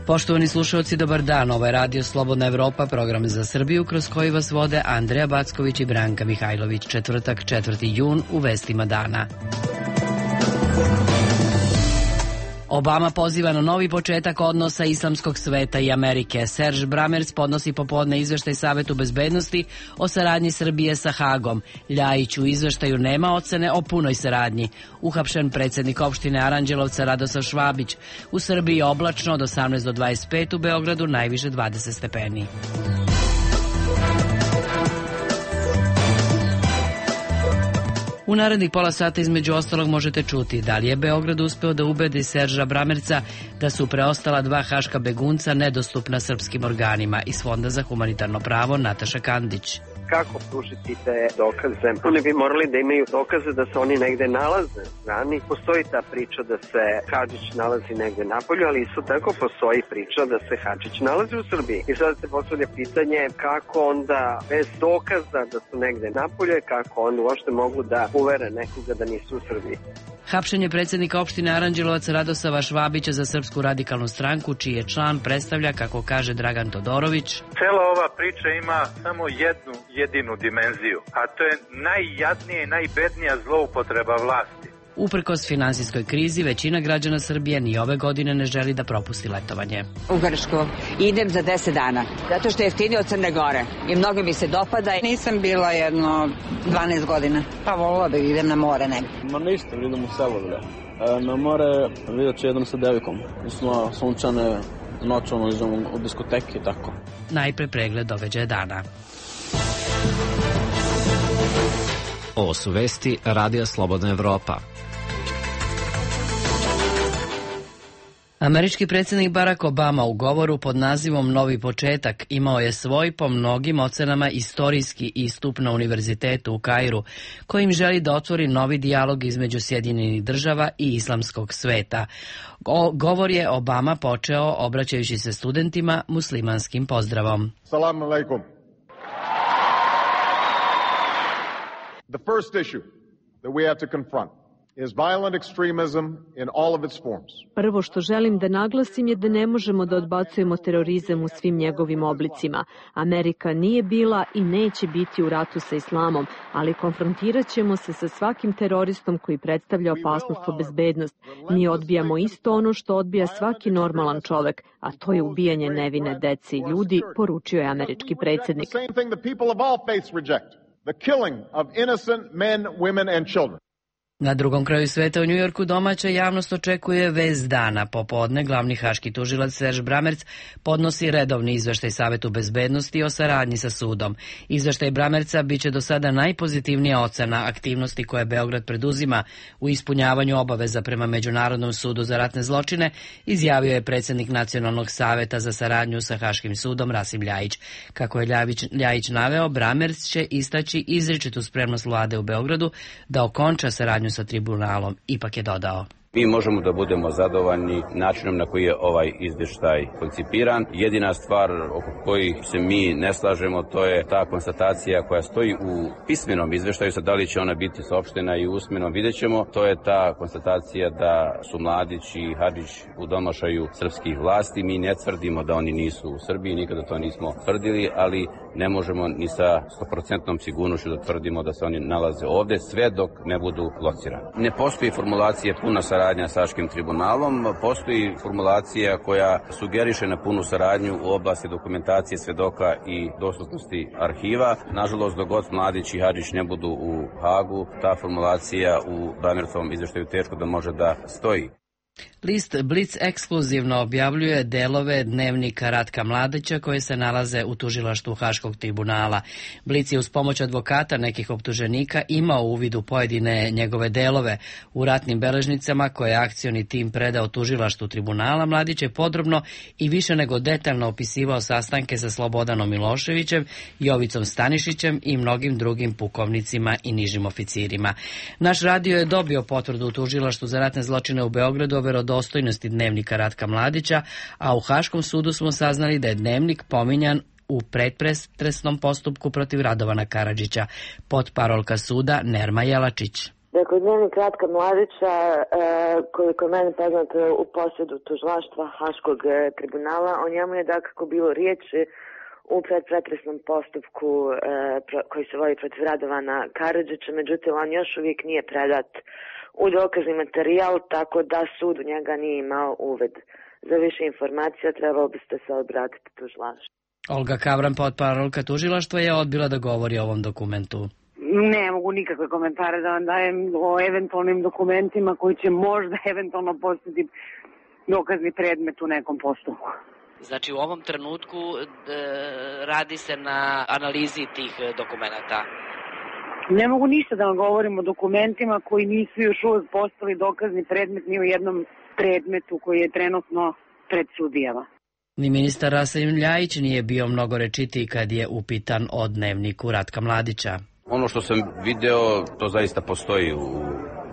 Poštovani slušalci, dobar dan. Ovo je Radio Slobodna Evropa, program za Srbiju kroz koji vas vode Andreja Backović i Branka Mihajlović. Četvrtak, 4. jun, u vestima dana. Obama poziva na novi početak odnosa islamskog sveta i Amerike. Serge Brammertz podnosi popodne izveštaj Savetu bezbednosti o saradnji Srbije sa Hagom. Ljajić u izveštaju nema ocene o punoj saradnji. Uhapšen predsjednik opštine Aranđelovca Radosav Švabić. U Srbiji oblačno od 18 do 25, u Beogradu najviše 20 stepeni. U narednih pola sata između ostalog možete čuti da li je Beograd uspeo da ubedi Serža Bramerca da su preostala 2 haška begunca nedostupna srpskim organima. Iz Fonda za humanitarno pravo Nataša Kandić. Kako pružiti te dokaze? Oni bi morali da imaju dokaze da se oni negde nalaze strani. Postoji ta priča da se Hadžić nalazi negde napolju, ali isto tako postoji priča da se Hadžić nalazi u Srbiji. I sada se postavlja pitanje kako onda bez dokaza da su negde napolje, kako onda uopšte mogu da uvere nekoga da nisu u Srbiji. Hapšenje predsjednika opštine Aranđelovac Radosava Švabića za Srpsku radikalnu stranku, čiji je član predstavlja, kako kaže Dragan Todorović. Cela ova priča ima samo jednu jedinu dimenziju, a to je najjadnija i najbednija zloupotreba vlasti. Uprkos finansijskoj krizi, većina građana Srbije ni ove godine ne želi da propusti letovanje. U Grčku idem za 10 dana, zato što je jeftinije od Crne Gore i mnogo mi se dopada. Nisam bila jedno 12 godina, pa volila bih idem na more negdje. Ma ništa, idem u selo, na more vidjet ću jednom sa devikom. Smo sunčane noćom, idemo u diskoteke i tako. Najpre pregled događaja dana. Ovo su vesti Radija Slobodna Evropa. Američki predsjednik Barack Obama u govoru pod nazivom Novi početak imao je svoj, po mnogim ocenama, istorijski istup na univerzitetu u Kairu, kojim želi da otvori novi dijalog između Sjedinjenih država i islamskog sveta. Govor je Obama počeo obraćajući se studentima muslimanskim pozdravom. Salam alaikum. The first issue that we have to confront is violent extremism in all of its forms. Prvo što želim da naglasim je da ne možemo da odbacujemo terorizam u svim njegovim oblicima. Amerika nije bila i neće biti u ratu sa islamom, ali konfrontirat ćemo se sa svakim teroristom koji predstavlja opasnost po bezbednost. Mi odbijamo isto ono što odbija svaki normalan čovek, a to je ubijanje nevine dece i ljudi, poručio je američki predsjednik. The killing of innocent men, women and children. Na drugom kraju sveta u Njujorku domaća javnost očekuje vest dana. Popodne glavni haški tužilac Serge Brammertz podnosi redovni izveštaj Savetu bezbednosti o saradnji sa sudom. Izveštaj Brammertza biće do sada najpozitivnija ocena aktivnosti koje Beograd preduzima u ispunjavanju obaveza prema Međunarodnom sudu za ratne zločine, izjavio je predsjednik Nacionalnog saveta za saradnju sa Haškim sudom Rasim Ljajić. Kako je Ljajić naveo, Brammertz će istaći izričitu spremnost vlade u Beogradu da okonča saradnju sa tribunalom. Ipak je dodao: Mi možemo da budemo zadovoljni načinom na koji je ovaj izvještaj koncipiran. Jedina stvar oko kojih se mi ne slažemo, to je ta konstatacija koja stoji u pismenom izvještaju. Sad, da li će ona biti saopštena i usmeno, vidjet ćemo. To je ta konstatacija da su Mladić i Hadžić u domašaju srpskih vlasti. Mi ne tvrdimo da oni nisu u Srbiji, nikada to nismo tvrdili, ali ne možemo ni sa 100% sigurnošću da tvrdimo da se oni nalaze ovde, sve dok ne budu locirani. Ne postoji formulacije puna saradnja sa Haškim tribunalom, postoji formulacija koja sugeriše na punu saradnju u oblasti dokumentacije svedoka i dostupnosti arhiva. Nažalost, dok god Mladić i Hadžić ne budu u Hagu, ta formulacija u Brammertzovom izveštaju teško da može da stoji. List Blic ekskluzivno objavljuje delove dnevnika Ratka Mladića koje se nalaze u tužilaštvu Haškog tribunala. Blic je uz pomoć advokata nekih optuženika imao uvid u pojedine njegove delove. U ratnim beležnicama koje je akcioni tim predao tužilaštvu tribunala, Mladić je podrobno i više nego detaljno opisivao sastanke sa Slobodanom Miloševićem, Jovicom Stanišićem i mnogim drugim pukovnicima i nižim oficirima. Naš radio je dobio potvrdu u tužilaštvu za ratne zločine u Beogradu o verodostojnosti dnevnika Ratka Mladića, a u Haškom sudu smo saznali da je dnevnik pominjan u predpretresnom postupku protiv Radovana Karadžića. Potparolka suda Nerma Jelačić. Dakle, dnevnik Ratka Mladića, koliko je meni poznato, u posjedu tužilaštva Haškog tribunala, o njemu je dakako bilo riječi u predpretresnom postupku koji se vodi protiv Radovana Karadžića, međutim on još uvijek nije predat u dokazni materijal, tako da sud u njega nije imao uved. Za više informacija trebalo biste se obratiti tužilaštvu. Olga Kavran, potparolka tužilaštva, je odbila da govori o ovom dokumentu. Ne mogu nikakve komentare da vam dajem o eventualnim dokumentima koji će možda eventualno postati dokazni predmet u nekom postupku. Znači u ovom trenutku radi se na analizi tih dokumenta. Ne mogu ništa da vam govorim o dokumentima koji nisu još uvijek postali dokazni predmet ni u jednom predmetu koji je trenutno pred sudijama. Ni ministar Rasim Ljajić nije bio mnogo rečitiji kad je upitan o dnevniku Ratka Mladića. Ono što sam video, to zaista postoji u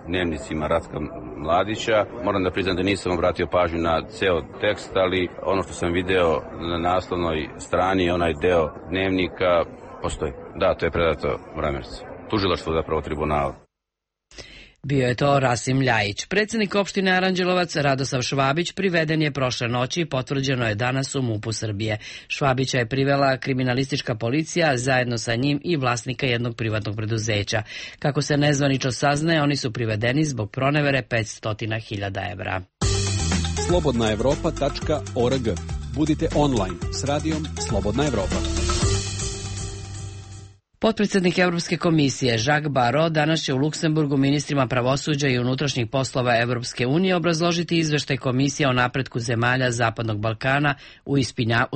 dnevnicima Ratka Mladića. Moram da priznam da nisam obratio pažnju na ceo tekst, ali ono što sam video na naslovnoj strani, onaj deo dnevnika, postoji. Da, to je predato Vramercu. Tužilaštvo zapravo tribunala. Bio je to Rasim Ljajić. Predsjednik opštine Aranđelovac Radosav Švabić priveden je prošle noći i potvrđeno je danas u MUP-u Srbije. Švabića je privela kriminalistička policija, zajedno sa njim i vlasnika jednog privatnog preduzeća. Kako se nezvanično saznaje, oni su privedeni zbog pronevere 500.000 evra. slobodnaevropa.org. Budite online s radijom Slobodna Evropa. Potpredsjednik Evropske komisije Jacques Barrot danas će u Luksemburgu ministrima pravosuđa i unutrašnjih poslova Evropske unije obrazložiti izveštaj komisije o napretku zemalja Zapadnog Balkana u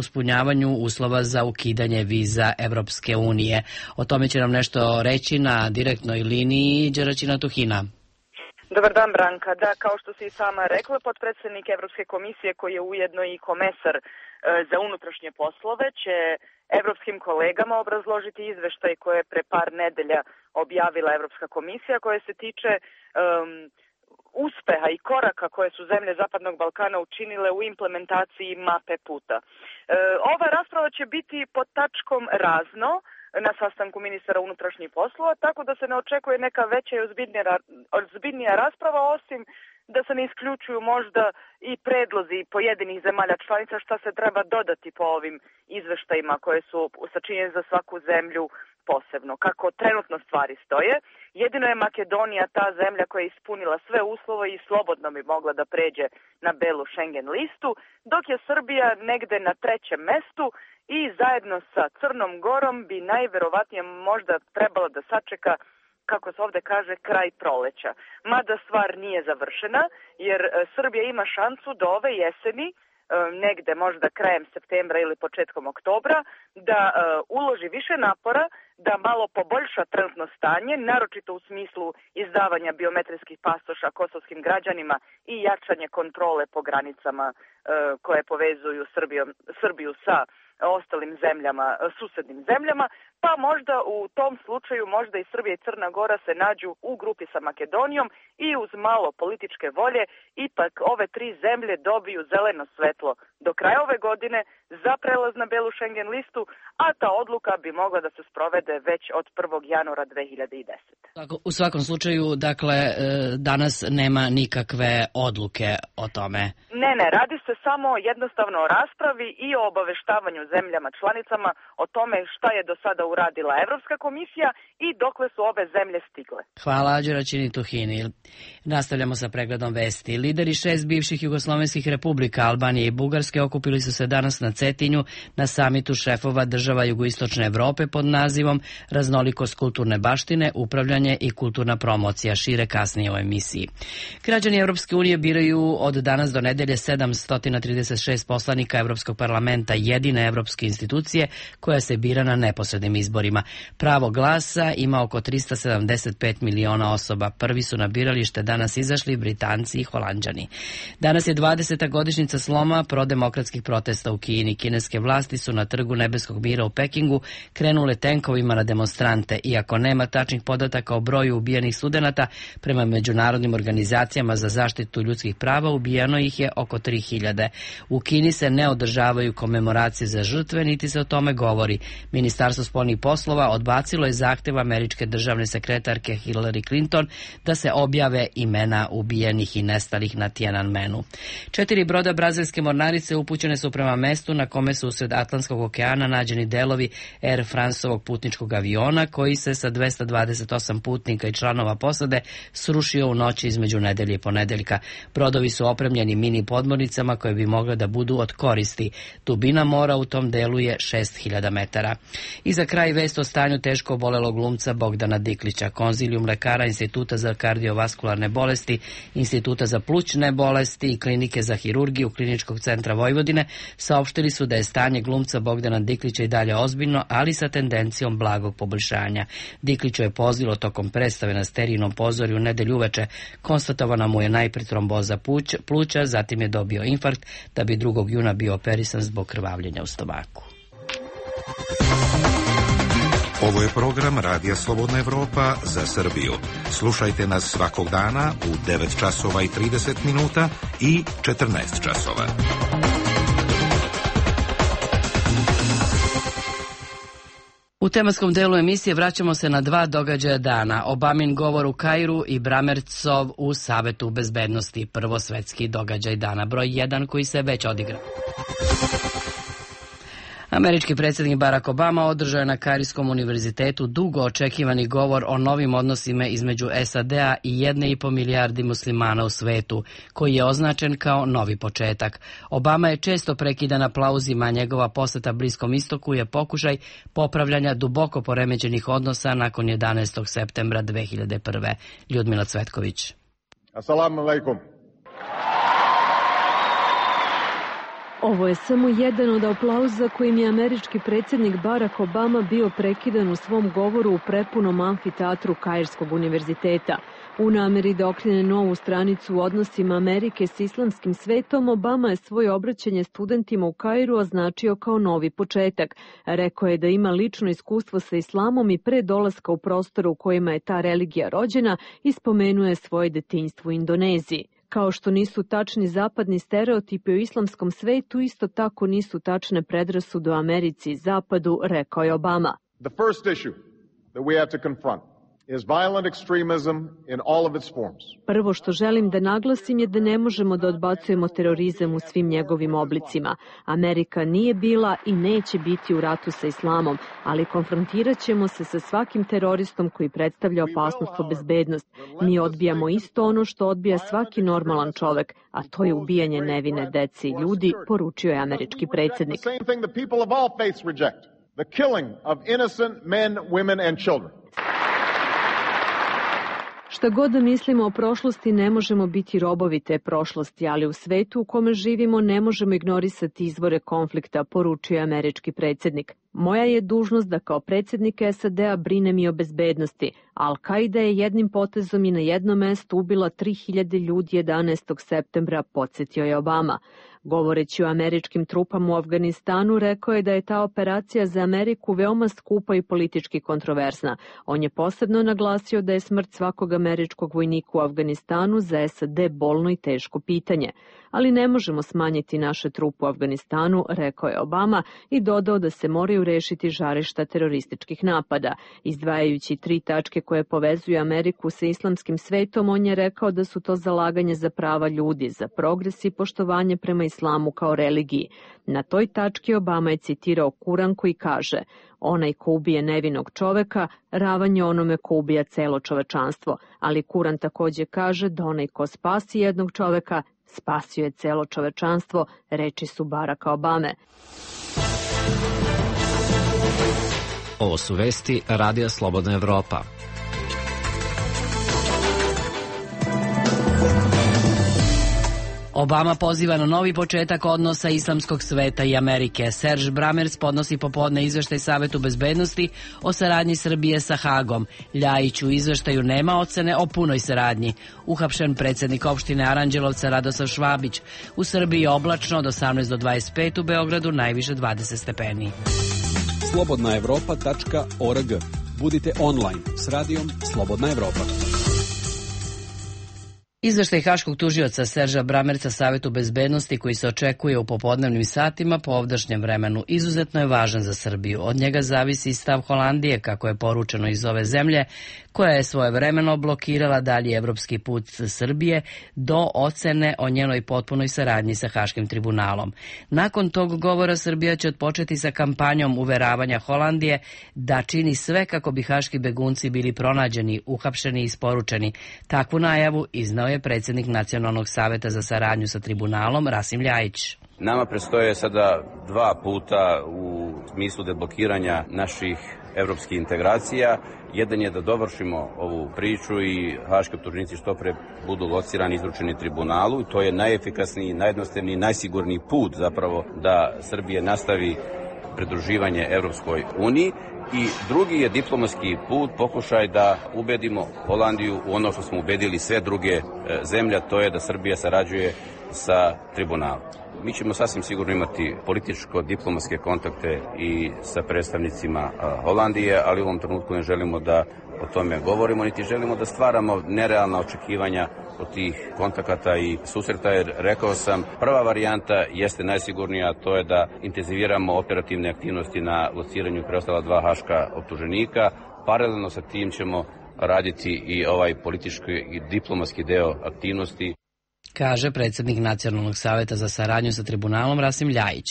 ispunjavanju uslova za ukidanje viza Evropske unije. O tome će nam nešto reći na direktnoj liniji Đeraćina Tuhina. Dobar dan, Branka. Da, kao što si i sama rekla, potpredsjednik Evropske komisije, koji je ujedno i komesar za unutrašnje poslove, će evropskim kolegama obrazložiti izveštaj koje je pre par nedelja objavila Evropska komisija, koje se tiče uspeha i koraka koje su zemlje Zapadnog Balkana učinile u implementaciji mape puta. Ova rasprava će biti pod tačkom razno na sastanku ministara unutrašnjih poslova, tako da se ne očekuje neka veća i ozbiljnija rasprava, osim da se ne isključuju možda i predlozi pojedinih zemalja članica šta se treba dodati po ovim izveštajima koje su sačinjene za svaku zemlju posebno. Kako trenutno stvari stoje, jedino je Makedonija ta zemlja koja je ispunila sve uslove i slobodno bi mogla da pređe na belu Schengen listu, dok je Srbija negde na 3. mestu i zajedno sa Crnom Gorom bi najverovatnije možda trebalo da sačeka, kako se ovde kaže, kraj proleća. Mada stvar nije završena, jer Srbija ima šansu do ove jeseni, negde možda krajem septembra ili početkom oktobra, da uloži više napora, da malo poboljša trenutno stanje, naročito u smislu izdavanja biometrijskih pasoša kosovskim građanima i jačanje kontrole po granicama koje povezuju Srbiju sa ostalim zemljama, susednim zemljama, pa možda u tom slučaju možda i Srbija i Crna Gora se nađu u grupi sa Makedonijom i uz malo političke volje ipak ove 3 zemlje dobiju zeleno svetlo do kraja ove godine za prelaz na belu Schengen listu, a ta odluka bi mogla da se sprovede već od 1. januara 2010. U svakom slučaju, dakle, danas nema nikakve odluke o tome. Ne, radi se samo jednostavno o raspravi i o obaveštavanju zemljama članicama o tome šta je do sada uradila Evropska komisija i dokle su ove zemlje stigle. Hvala Đeraćini Tuhini. Nastavljamo sa pregledom vesti. Lideri 6 bivših jugoslovenskih republika, Albanije i Bugarske, okupili su se danas na Cetinju na samitu šefova država jugoistočne Evrope pod nazivom Raznolikost kulturne baštine, upravljanje i kulturna promocija, šire kasnije u emisiji. Građani Evropske unije biraju od danas do nedelje 736 poslanika Evropskog parlamenta, jedine evropske institucije koja se bira na neposrednim izborima. Pravo glasa ima oko 375 miliona osoba. Prvi su na biralište danas izašli Britanci i Holanđani. Danas je 20. godišnjica sloma prodemokratskih protesta u Kini. ubijeni. Kineske vlasti su na trgu Nebeskog mira u Pekingu krenule tenkovima na demonstrante. Iako nema tačnih podataka o broju ubijenih studenata, prema međunarodnim organizacijama za zaštitu ljudskih prava ubijeno ih je oko 3000. U Kini se ne održavaju komemoracije za žrtve, niti se o tome govori. Ministarstvo spoljnih poslova odbacilo je zahtev američke državne sekretarke Hillary Clinton da se objave imena ubijenih i nestalih na Tiananmenu. 4 broda brazilske mornarice upućene su prema mestu na kome su usred Atlantskog okeana nađeni delovi Air Franceovog putničkog aviona koji se sa 228 putnika i članova posade srušio u noći između nedelje i ponedeljka. Brodovi su opremljeni mini podmornicama koje bi mogle da budu od koristi. Dubina mora u tom delu je 6000 metara. I za kraj vest o stanju teško obolelog glumca Bogdana Diklića. Konzilijum lekara Instituta za kardiovaskularne bolesti, Instituta za plućne bolesti i Klinike za hirurgiju Kliničkog centra Vojvodine saopštili su da je stanje glumca Bogdana Diklića i dalje ozbiljno, ali sa tendencijom blagog poboljšanja. Dikliću je pozlilo tokom predstave na Sterijnom pozorju u nedelju uveče. Konstatovana mu je najpre tromboza pluća, zatim je dobio infarkt, da bi 2. juna bio operisan zbog krvavljenja u stomaku. Ovo je program Radija Slobodna Evropa za Srbiju. Slušajte nas svakog dana u 9 časova i 30 minuta i 14 časova. U tematskom delu emisije vraćamo se na 2 događaja dana. Obamin govor u Kairu i Bramercov u Savetu bezbednosti. Prvo svetski događaj dana broj 1 koji se već odigrao. Američki predsjednik Barack Obama održao je na Kairskom univerzitetu dugo očekivani govor o novim odnosima između SAD-a i 1,5 milijardi muslimana u svetu, koji je označen kao novi početak. Obama je često prekidan aplauzima, a njegova poseta Bliskom istoku je pokušaj popravljanja duboko poremećenih odnosa nakon 11. septembra 2001. Ljudmila Cvetković. Assalamu alaikum. Ovo je samo jedan od aplauza kojim je američki predsjednik Barack Obama bio prekidan u svom govoru u prepunom amfiteatru Kairskog univerziteta. U nameri da okrene novu stranicu u odnosima Amerike s islamskim svetom, Obama je svoje obraćanje studentima u Kairu označio kao novi početak. Rekao je da ima lično iskustvo sa islamom i pre dolaska u prostoru u kojima je ta religija rođena i spomenuje svoje detinjstvo u Indoneziji. Kao što nisu tačni zapadni stereotipi o islamskom svetu, isto tako nisu tačne predrasude o Americi i Zapadu, rekao je Obama. The first issue that we have to confront is violent extremism in all of its forms. Prvo što želim da naglasim je da ne možemo da odbacujemo terorizam u svim njegovim oblicima. Amerika nije bila i neće biti u ratu sa islamom, ali konfrontirat ćemo se sa svakim teroristom koji predstavlja opasnost po bezbednost. Mi odbijamo isto ono što odbija svaki normalan čovek, a to je ubijanje nevine dece i ljudi, poručio je američki predsjednik. The killing of innocent men, women and children. Šta god da mislimo o prošlosti, ne možemo biti robovi te prošlosti, ali u svetu u kome živimo ne možemo ignorisati izvore konflikta, poručio je američki predsjednik. Moja je dužnost da kao predsjednik SAD-a brinem i o bezbednosti. Al-Kaida je jednim potezom i na jednom mestu ubila 3000 ljudi 11. septembra, podsjetio je Obama. Govoreći o američkim trupama u Afganistanu, rekao je da je ta operacija za Ameriku veoma skupa i politički kontroverzna. On je posebno naglasio da je smrt svakog američkog vojnika u Afganistanu za SAD bolno i teško pitanje. Ali ne možemo smanjiti naše trupe u Afganistanu, rekao je Obama i dodao da se moraju rešiti žarišta terorističkih napada. Izdvajajući 3 tačke koje povezuju Ameriku sa islamskim svetom, on je rekao da su to zalaganje za prava ljudi, za progres i poštovanje prema islamu kao religiji. Na toj tački Obama je citirao Kuran koji kaže: onaj ko ubije nevinog čoveka, ravan je onome ko ubija celo čovečanstvo. Ali Kuran takođe kaže da onaj ko spasi jednog čoveka, spasio je celo čovečanstvo, reči su Baracka Obame. Ovo su vesti Radija Slobodna Evropa. Obama poziva na novi početak odnosa islamskog sveta i Amerike. Serge Brammertz podnosi popodne izveštaj Savetu bezbednosti o saradnji Srbije sa Hagom. Ljajić u izveštaju nema ocene o punoj saradnji. Uhapšen predsjednik opštine Aranđelovca Radoslav Švabić. U Srbiji je oblačno od 18 do 25, u Beogradu najviše 20 stepeni. slobodnaevropa.org. Budite online s radijom Slobodna Evropa. Izveštaj haškog tužioca Serža Brammertza Savetu bezbednosti koji se očekuje u popodnevnim satima po ovdašnjem vremenu izuzetno je važan za Srbiju. Od njega zavisi stav Holandije, kako je poručeno iz ove zemlje, koja je svojevremeno blokirala dalji evropski put Srbije do ocene o njenoj potpunoj saradnji sa Haškim tribunalom. Nakon tog govora Srbija će odpočeti sa kampanjom uveravanja Holandije da čini sve kako bi haški begunci bili pronađeni, uhapšeni i isporučeni. Takvu najavu iznao je predsjednik Nacionalnog saveta za saradnju sa tribunalom Rasim Ljajić. Nama predstoje sada 2 puta u smislu deblokiranja naših evropskih integracija. Jedan je da dovršimo ovu priču i haški optuženici što pre budu locirani i izručeni tribunalu. To je najefikasniji, najjednostavniji, najsigurniji put zapravo da Srbija nastavi pridruživanje Evropskoj uniji. I drugi je diplomatski put, pokušaj da ubedimo Holandiju u ono što smo ubedili sve druge zemlje, to je da Srbija sarađuje sa tribunalom. Mi ćemo sasvim sigurno imati političko-diplomatske kontakte i sa predstavnicima Holandije, ali u ovom trenutku ne želimo da o tome govorimo, niti želimo da stvaramo nerealna očekivanja od tih kontakata i susreta, jer rekao sam, prva varijanta jeste najsigurnija, a to je da intenziviramo operativne aktivnosti na lociranju preostala 2 haška optuženika. Paralelno sa tim ćemo raditi i ovaj politički i diplomatski deo aktivnosti, kaže predsjednik Nacionalnog saveta za saradnju sa tribunalom Rasim Ljajić.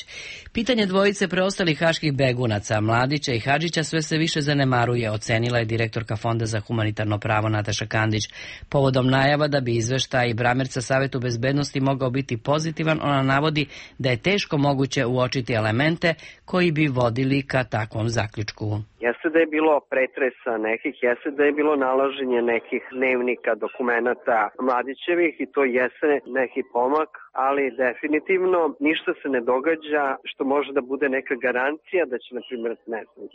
Pitanje dvojice preostalih haških begunaca, Mladića i Hadžića, sve se više zanemaruje, ocenila je direktorka Fonda za humanitarno pravo Nataša Kandić. Povodom najava da bi izveštaj Brammertza Savetu bezbednosti mogao biti pozitivan, ona navodi da je teško moguće uočiti elemente koji bi vodili ka takvom zaključku. Jeste da je bilo pretresa nekih, jeste da je bilo nalaženje nekih dnevnika, dokumenata Mladićevih i to jeste neki pomak, ali definitivno ništa se ne događa što može da bude neka garancija da će, na primjer,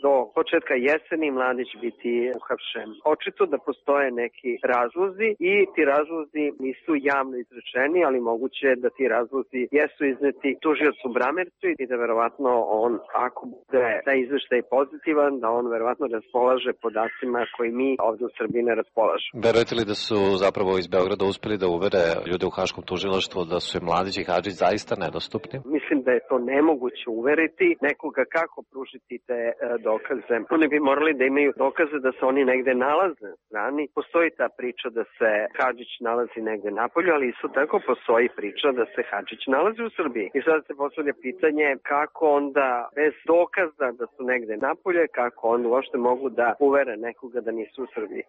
do početka jeseni Mladić biti uhapšen. Očito da postoje neki razlozi i ti razlozi nisu javno izrečeni, ali moguće je da ti razlozi jesu izneti tužiocu Brammertzu i da verovatno on, ako bude taj izveštaj pozitivan, da on verovatno raspolaže podacima koji mi ovdje u Srbiji ne raspolažemo. Verujete li da su zapravo iz Beograda uspeli da uvere ljude u Haškom tužilaštvu da su im Mladić i Hadžić zaista nedostupni? Mislim da je to nemoguće uveriti nekoga kako pružiti te dokaze. Oni bi morali da imaju dokaze da se oni negde nalaze na strani. Postoji ta priča da se Hadžić nalazi negde napolju, ali isto tako postoji priča da se Hadžić nalazi u Srbiji. I sad se postavlja pitanje kako onda bez dokaza da su negde napolje, kako onda uopšte mogu da uvere nekoga da nisu u Srbiji.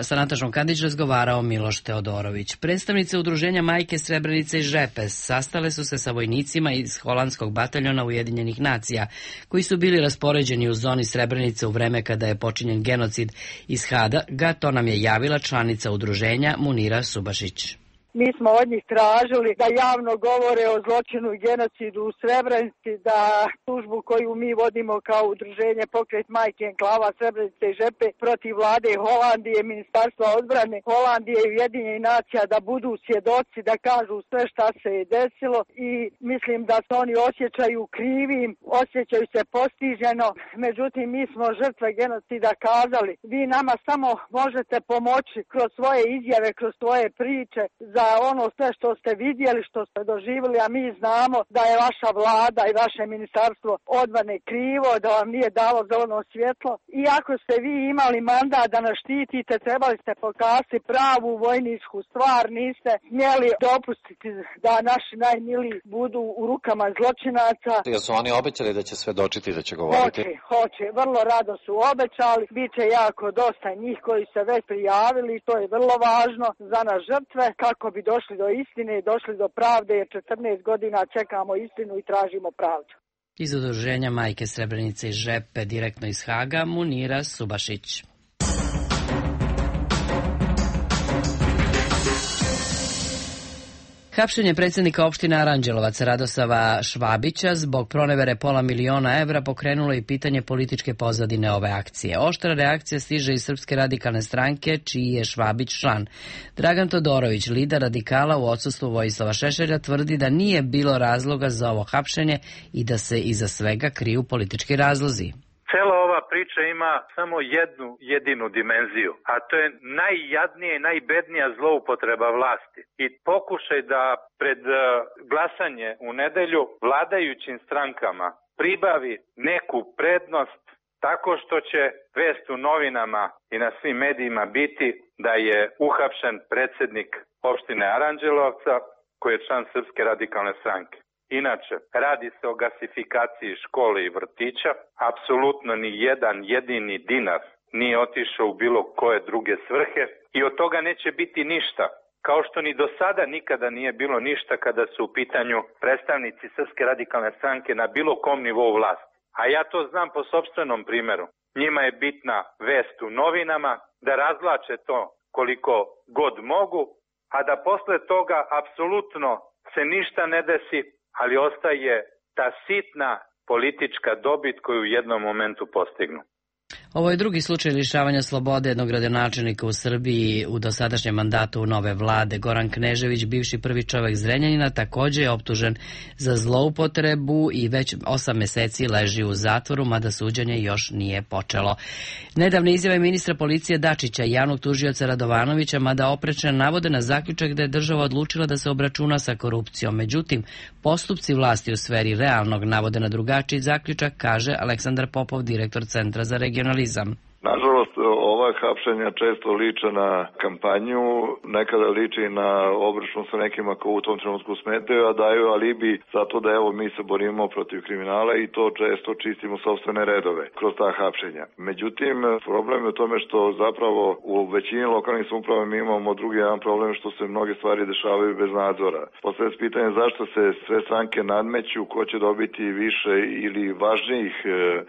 Sa Natašom Kandić razgovarao Miloš Teodorović. Predstavnice udruženja Majke Srebrenice i Žepe sastale su se sa vojnicima iz holandskog bataljona Ujedinjenih nacija, koji su bili raspoređeni u zoni Srebrenice u vreme kada je počinjen genocid iz Haga. To nam je javila članica udruženja Munira Subašić. Mi smo od njih tražili da javno govore o zločinu i genocidu u Srebrenici, da tužbu koju mi vodimo kao udruženje Pokret Majke Enklava Srebrenice i Žepe protiv vlade Holandije, Ministarstva odbrane Holandije i Ujedinjenih nacija da budu svjedoci, da kažu sve šta se je desilo i mislim da se oni osjećaju krivim, osjećaju se postiženo. Međutim, mi smo žrtve genocida kazali. Vi nama samo možete pomoći kroz svoje izjave, kroz svoje priče za ono sve što ste vidjeli, što ste doživjeli, a mi znamo da je vaša vlada i vaše ministarstvo odbrane krivo, da vam nije dalo zeleno svjetlo. I ako ste vi imali mandat da nas štitite, trebali ste pokazati pravu vojničku stvar, niste smjeli dopustiti da naši najmiliji budu u rukama zločinaca. Jer su oni obećali da će svedočiti, da će govoriti? Hoće, vrlo rado su obećali, bit će jako dosta njih koji se već prijavili i to je vrlo važno za nas žrtve, kako bi došli do istine i došli do pravde, jer 14 godina čekamo istinu i tražimo pravdu. Iz udruženja Majke Srebrenice i Žepe, direktno iz Haga, Munira Subašić. Hapšenje predsjednika opštine Aranđelovac Radosava Švabića zbog pronevere $500.000 pokrenulo i pitanje političke pozadine ove akcije. Oštra reakcija stiže iz Srpske radikalne stranke, čiji je Švabić član. Dragan Todorović, lider radikala u odsustvu Vojislava Šešelja, tvrdi da nije bilo razloga za ovo hapšenje i da se iza svega kriju politički razlozi. Cela ova priča ima samo jednu jedinu dimenziju, a to je najjadnija i najbednija zloupotreba vlasti. I pokušaj da pred glasanje u nedelju vladajućim strankama pribavi neku prednost tako što će vest u novinama i na svim medijima biti da je uhapšen predsjednik opštine Aranđelovca koji je član Srpske radikalne stranke. Inače, radi se o gasifikaciji škole i vrtića, apsolutno ni jedan jedini dinar nije otišao u bilo koje druge svrhe i od toga neće biti ništa, kao što ni do sada nikada nije bilo ništa kada su u pitanju predstavnici Srpske radikalne stranke na bilo kom nivou vlasti. A ja to znam po sopstvenom primjeru. Njima je bitna vest u novinama, da razvlače to koliko god mogu, a da posle toga apsolutno se ništa ne desi, ali ostaje ta sitna politička dobit koju u jednom momentu postignu. Ovo je drugi slučaj lišavanja slobode jednog gradonačelnika u Srbiji u dosadašnjem mandatu nove vlade. Goran Knežević, bivši prvi čovek Zrenjanina, također je optužen za zloupotrebu i već 8 meseci leži u zatvoru, mada suđenje još nije počelo. Nedavne izjave ministra policije Dačića i javnog tužioca Radovanovića, mada oprečne, navode na zaključak da je država odlučila da se obračuna sa korupcijom. Međutim, postupci vlasti u sferi realnog navode na drugačiji zaključak, kaže Aleksandar Popov, direktor Centra za regionalizam. Nažalost, ova hapšenja često liče na kampanju, nekada liči na obračun sa nekima ko u tom trenutku smetaju, a daju alibi zato da evo mi se borimo protiv kriminala i to često čistimo sopstvene redove kroz ta hapšenja. Međutim, problem je u tome što zapravo u većini lokalnih samouprava mi imamo drugi jedan problem što se mnoge stvari dešavaju bez nadzora. Postavlja se pitanje zašto se sve stranke nadmeću, ko će dobiti više ili važnijih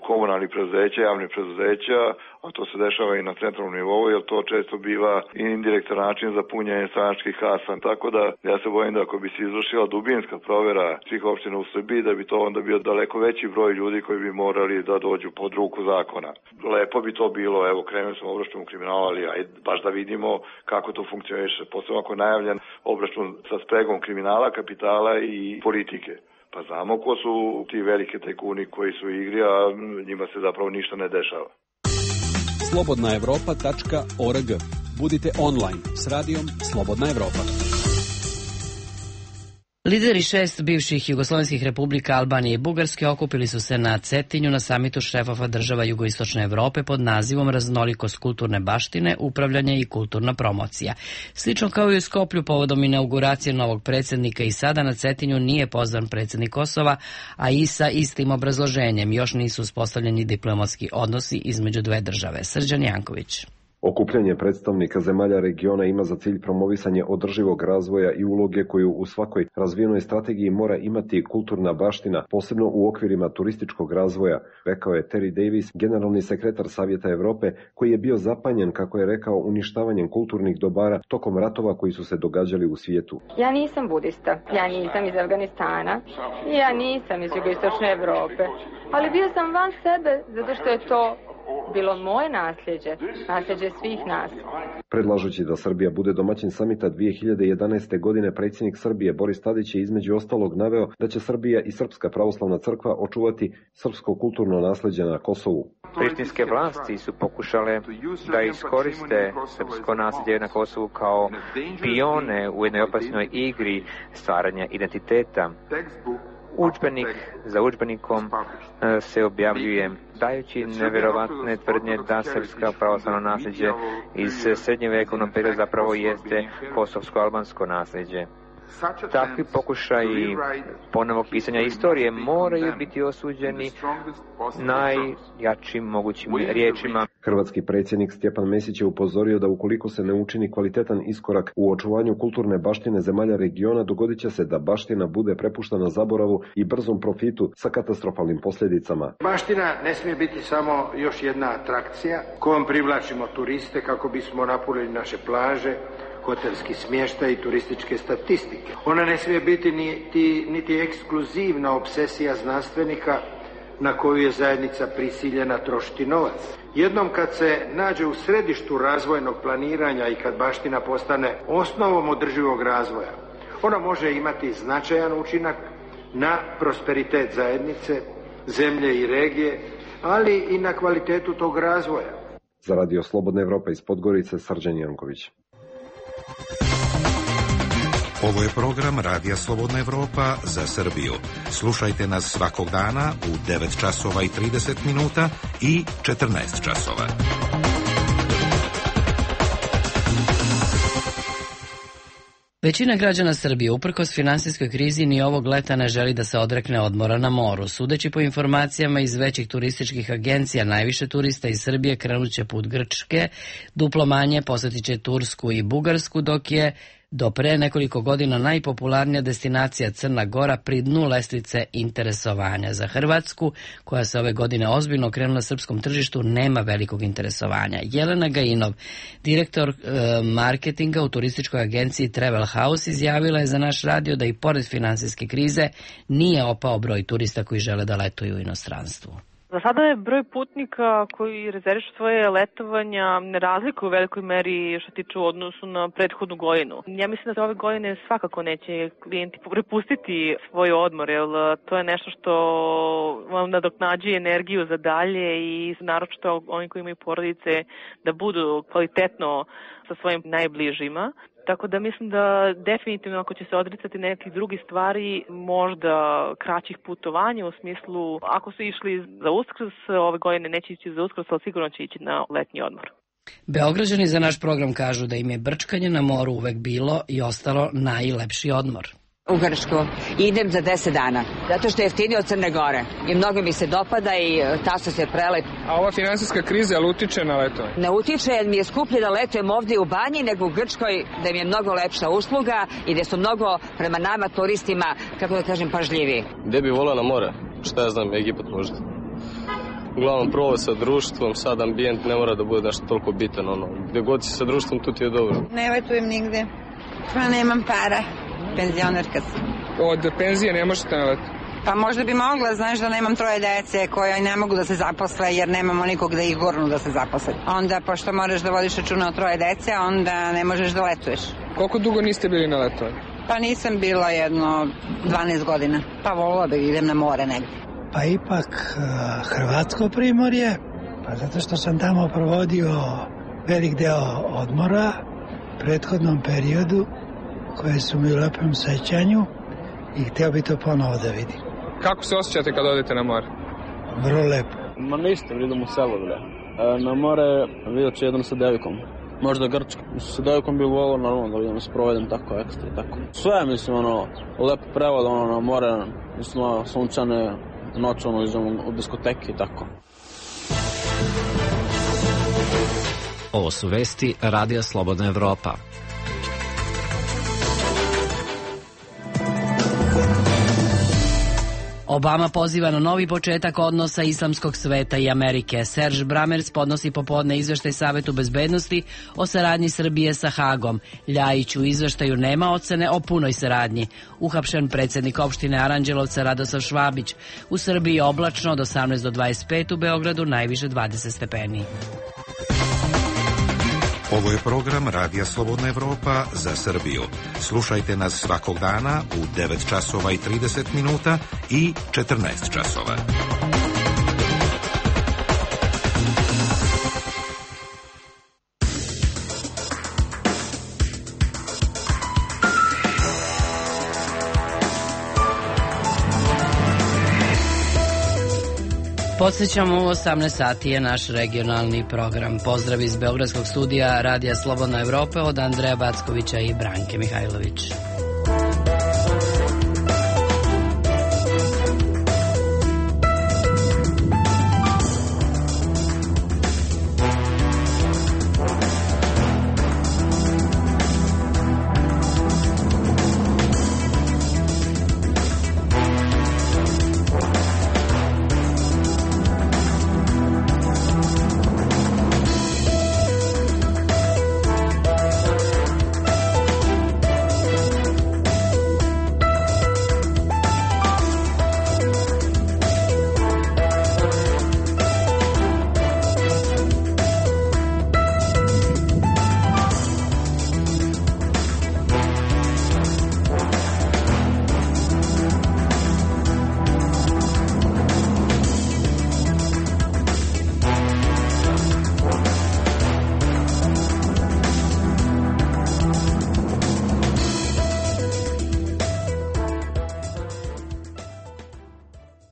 komunalnih preduzeća, javnih preduzeća, a to se dešava i na centralnom nivou, jer to često biva i indirektan način za punjenje stranačkih kasa. Tako da ja se bojim da ako bi se izvršila dubinska provjera svih opština u Srbiji, da bi to onda bio daleko veći broj ljudi koji bi morali da dođu pod ruku zakona. Lepo bi to bilo, evo krenuli smo obračun u kriminalu, ali ajde baš da vidimo kako to funkcioniše. Posebno ako je najavljen obračun sa spregom kriminala, kapitala i politike. Pa znamo ko su ti velike tajkuni koji su u igri, a njima se zapravo ništa ne dešava. slobodnaevropa.org. Budite online s radijom Slobodna Evropa. Lideri 6 bivših jugoslovenskih republika Albanije i Bugarske okupili su se na Cetinju na samitu šefova država jugoistočne Evrope pod nazivom Raznolikost kulturne baštine, upravljanje i kulturna promocija. Slično kao i u Skoplju povodom inauguracije novog predsjednika i sada na Cetinju nije pozvan predsjednik Kosova, a i sa istim obrazloženjem još nisu uspostavljeni diplomatski odnosi između dve države. Srđan Janković. Okupljanje predstavnika zemalja regiona ima za cilj promovisanje održivog razvoja i uloge koju u svakoj razvijenoj strategiji mora imati kulturna baština, posebno u okvirima turističkog razvoja, rekao je Terry Davis, generalni sekretar Savjeta Evrope, koji je bio zapanjen, kako je rekao, uništavanjem kulturnih dobara tokom ratova koji su se događali u svijetu. Ja nisam budista, ja nisam iz Afganistana, ja nisam iz jugoistočne Evrope, ali bio sam van sebe zato što je to bilo moje nasljeđe svih nas. Predlažući da Srbija bude domaćin samita 2011. godine, predsjednik Srbije Boris Tadić je između ostalog naveo da će Srbija i Srpska pravoslavna crkva očuvati srpsko kulturno nasleđe na Kosovu. Prištinske vlasti su pokušale da iskoriste srpsko nasleđe na Kosovu kao pione u jednoj opasnoj igri stvaranja identiteta. Udžbenik za udžbenikom se objavljuje dajući nevjerovatne tvrdnje da srpska pravoslavno nasljeđe iz srednjevjekovnog perioda zapravo jeste kosovsko-albansko nasljeđe. Takvi pokušaji ponovnog pisanja istorije moraju biti osuđeni najjačim mogućim riječima. Hrvatski predsjednik Stjepan Mesić je upozorio da ukoliko se ne učini kvalitetan iskorak u očuvanju kulturne baštine zemalja regiona, dogodit će se da baština bude prepuštena zaboravu i brzom profitu sa katastrofalnim posljedicama. Baština ne smije biti samo još jedna atrakcija kojom privlačimo turiste kako bismo napunili naše plaže, hotelski smještaj i turističke statistike. Ona ne smije biti niti ekskluzivna obsesija znanstvenika na koju je zajednica prisiljena trošiti novac. Jednom kad se nađe u središtu razvojnog planiranja i kad baština postane osnovom održivog razvoja, ona može imati značajan učinak na prosperitet zajednice, zemlje i regije, ali i na kvalitetu tog razvoja. Za Radio Slobodna Evropa iz Podgorice, Srđan Janković. Ovo je program Radija Slobodna Evropa za Srbiju. Slušajte nas svakog dana u 9 časova i 30 minuta i 14 časova. Većina građana Srbije, uprkos finansijskoj krizi, ni ovog leta ne želi da se odrekne odmora na moru. Sudeći po informacijama iz većih turističkih agencija, najviše turista iz Srbije krenuće put Grčke, duplo manje posjetiće Tursku i Bugarsku, dok je do pre nekoliko godina najpopularnija destinacija Crna Gora pri dnu lestvice interesovanja. Za Hrvatsku, koja se ove godine ozbiljno okrenula srpskom tržištu, nema velikog interesovanja. Jelena Gajinov, direktor marketinga u turističkoj agenciji Travel House, izjavila je za naš radio da i pored finansijske krize nije opao broj turista koji žele da letuju u inostranstvu. Za sada je broj putnika koji rezervišu svoje letovanja ne razlikuje u velikoj meri što tiče u odnosu na prethodnu godinu. Ja mislim da se ove godine svakako neće klijenti prepustiti svoj odmor, jer to je nešto što vam nadoknađuje energiju za dalje i naročito oni koji imaju porodice da budu kvalitetno sa svojim najbližima. Tako da mislim da definitivno ako će se odricati nekih drugih stvari, možda kraćih putovanja u smislu ako su išli za Uskrs, ove godine neće ići za Uskrs, ali sigurno će ići na letnji odmor. Beograđani za naš program kažu da im je brčkanje na moru uvek bilo i ostalo najlepši odmor. U Grčku. Idem za 10 dana, zato što je jeftinije od Crne Gore i mnogo mi se dopada i taso se prelep. A ova finansijska kriza, ali utiče na letovanje? Ne utiče, jer mi je skuplje da letujem ovdje u banji nego u Grčkoj, da mi je mnogo lepša usluga i da su mnogo prema nama turistima, kako da kažem, pažljiviji. Gde bi volao na more? Šta ja znam, Egipat možda. Uglavnom provo sa društvom, sad ambijent ne mora da bude nešto toliko bitan, gde god si sa društvom, tu ti je dobro. Ne letujem nigde, pa nemam para. Penzionerka sam. Od penzije ne možete na letu? Pa možda bi mogla, znaš da nemam 3 dece koje ne mogu da se zaposle jer nemamo nikog da ih gurnu da se zaposle. Onda, pošto moraš da vodiš računa o 3 dece, onda ne možeš da letuješ. Koliko dugo niste bili na letovanju? Pa nisam bila jedno 12 godina. Pa volila da idem na more negdje. Pa ipak Hrvatsko primorje, pa zato što sam tamo provodio velik deo odmora u prethodnom periodu, koje su mi u lepom sećanju i htio bi to ponovo da vidim. Kako se osjećate kad odete na more? Vrlo lepo. Ma ništa, idem u selo, bre. Na more vidjet ću jednom sa devikom. Možda Grčka. Sa devikom bi volio normalno da idem sprovedem tako ekstra i tako. Sve, mislim, lepo prevod, na more, mislim, sunčane noć, idem u diskoteki i tako. Ovo su vesti Radija Slobodna Evropa. Obama poziva na novi početak odnosa islamskog sveta i Amerike. Serge Bramers podnosi popodne izveštaj Savetu bezbednosti o saradnji Srbije sa Hagom. Ljajić u izveštaju nema ocene o punoj saradnji. Uhapšen predsjednik opštine Aranđelovca Radosav Švabić. U Srbiji oblačno od 18 do 25, u Beogradu najviše 20 stepeni. Ovo je program Radija Slobodna Evropa za Srbiju. Slušajte nas svakog dana u 9 časova i 30 minuta i 14 časova. Podsjećamo, u 18 sati je naš regionalni program. Pozdrav iz Beogradskog studija Radija Slobodna Evropa od Andreja Backovića i Branke Mihajlović.